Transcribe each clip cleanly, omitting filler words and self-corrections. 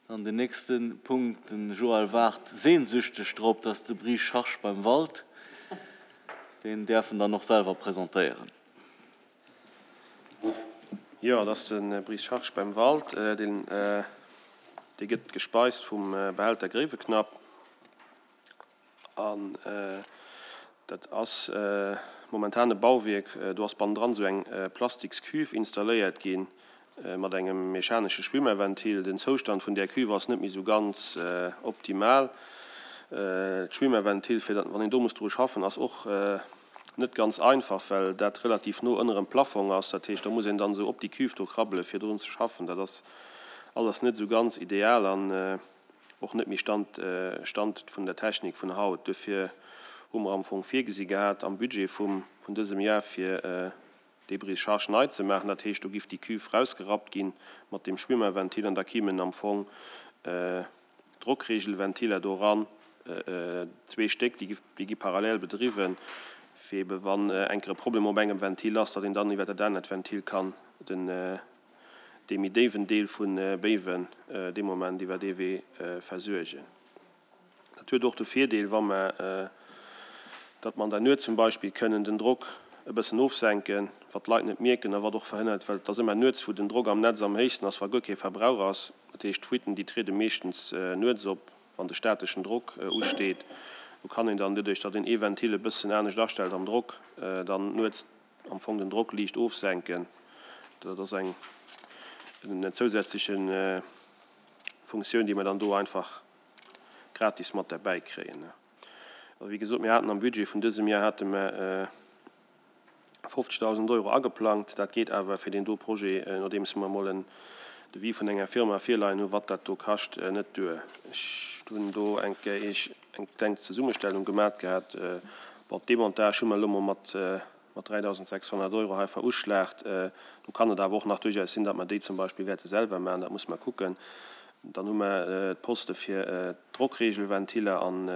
Dann den nächste Punkt, den Joël waart sehnsüchteg drop, dat ass de Brise Charge beim Wald. Deen däerf en dann och selwer presentéieren. Jo, dat ass de Brise Charge beim Wald. Deen, dee gëtt gespeist vum Behälter Gréiweknapp. An dat ass momentan e Bauwierk, do ass bannendran esou eng plastiks Cuve installéiert gi mat engem mechanesche Schwimmerventil. Den Zoustand vun där Cuve ass net méi esou ganz optimal. D'Schwimmerventil, fir datt, wann een do muss dru schaffen, ass och net ganz einfach, well dat relativ no ënnerem Plafong ass. Dat heescht, do muss een dann esou op déi Cuve do krabbele fir drun ze schaffen. Dat ass alles net esou ganz ideal. An och net méi Stand Stand vun der Technik vun haut. Duerfir hu mer am Fong virgesi gehat am Budget vum vun dësem Jar fir dee Brise-charge nei ze maachen. Dat heescht, do giff déi Cuve rausgerappt gi mat deem Schwimmerventil an da kimen am Fong Drockregelventiler do eran, zwee Stéck, déi giff déi gi parallel bedriwwen, fir ebe wann enker e Problem op engem Ventil ass, datt een dann iwwer dat anert Ventil kann den dee méi déiwen Deel vu Béiwen dee Moment iwwer dee Wee versuergen. Dat huet och de Virdeel, wa mer, datt mer an der Nuet zum Beispill kënnen den Drock e bëssen ofsenken, wat d'Leit net mierken a wat och verhënnert, well et ass ëmmer nuets, wou den Drock am Netz am héchsten ass, wa guer kee Verbrauch ass. Dat heescht, d'Fuiten, déi triede meeschtens nuets op, wann de stateschen Drock usteet. Do kann een dann, doduerch datt een ee Ventil e bëssen anescht astellt am Drock, dann nuets am Fong den Drock liicht ofsenken. Dat ass eng zousätzleche Funktioun, déi mer dann do einfach gratis mat derbäi kréien. Also wéi gesot, mir haten am Budget vun dësem Jar hate mer 50.000 Euro ageplangt. Dat geet awer fir deen do Projet, nodeems mer emol en Devis vun enger Firma virleien hunn, wat dat do kascht, net duer. Ech hunn do eng Kéier Iech eng kleng Zesummestellung gemat gehat. Bon, d'Demontage hu mer elo mol mat 3.600 Euro hei veruschlaagt. Do kann et awer och nach duerchaus sinn, datt mer déi zum Beispill wäerte selwer maachen. Dat musse mer kucken. Dann hu mer d'Poste fir d'Drockregelventiller an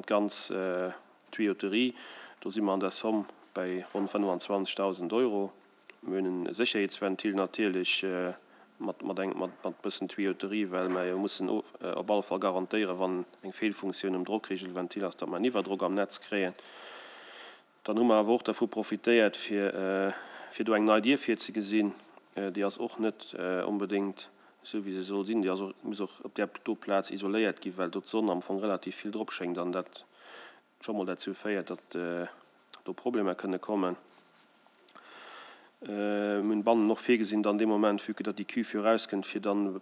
d'ganz Tuyauterie. Do si mer an der Somme bäi ronn 25.000 Euro. Mir hunn e Sécherheetsventil natierlech mat mat eng mat mat bëssen Tuyauterie, well mer jo mussen op alle Fall garantéieren, wann eng Feelfunktioun um Drockregelventil ass, datt mer en Iwwerdrock am Netz kréien. Dann hu mer awer och dervu profitéiert, fir fir do eng nei Dier virzegesinn. Déi ass och net onbedéngt esou, wéi se soll sinn. Déi ass och muss och op där do Plaz isoléiert ginn, well do d'Sonn am Fong relativ vill drop schéngt an dat scho mol derzou féiert, datt do Problemer kënne kommen. Mir hunn bannen och virgesinn, dann dee Moment, vue que datt déi Cuve jo erauskënnt, fir dann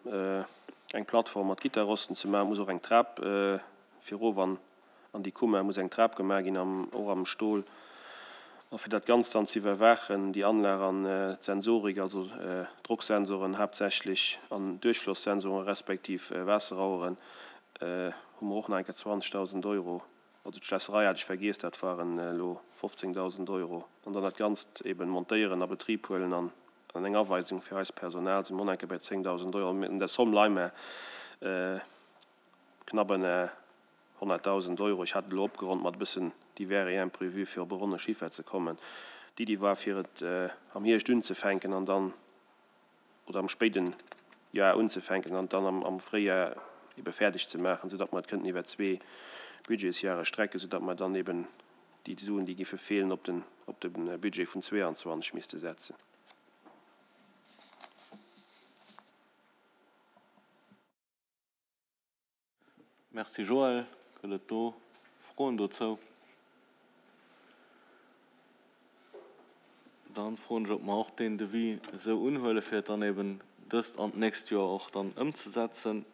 eng Plattform mat Gitterrosten ze maachen, muss och eng Trap fir erof an an déi Kummer muss eng Trap gemaach ginn, am och am Stol. A fir dat Ganzt dann ze iwwerwaachen, déi Anlag an d'Sensorik, also Drocksensoren haaptsächlech an Duerchflosssensoren respektiv Waasseraueren, hu mer och nach eng Kéier 20.000 Euro, also d'Schlässerei hat ech vergiess, dat waren elo 15.000 Euro, an dann dat Ganzt eben montéieren, a Betrib huelen an eng Aweisung fir eist Personal, si mer och nach eng Kéier bei 10.000 Euro. An der Somme leie mer knapp ënner 100.000 Euro. Ech hat et elo opgeronnt mat e bëssen divers et imprévus, fir op e ronne Chiffer ze kommen. D'Iddi war, fir et am Hierscht unzefänken an dann, oder am spéiden Joer unzefänken an dann am Fréijoer ebe fäerdeg ze maachen, soudatt mer et kënnten iwwer zwee Budgetsjahre strecken, soudatt mer dann eben déi Suen, déi giffe feelen, op den op de Budget vun 22 misste setzen. Merci Joël. Gëtt et do Froen dozou? Dann froen ech, ob mer och deen Devis esou unhuele fir et dann eben dëst an d'nächst Joer och dann ëmzesetzen.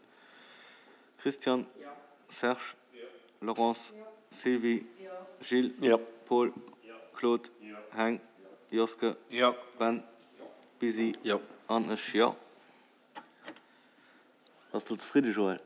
Christian? Serge? Laurence? Sylvie? Gilles? Paul? Claude? Heng? Joske? Ben? Busy? An ech, jo. Bass du zefridde Joël?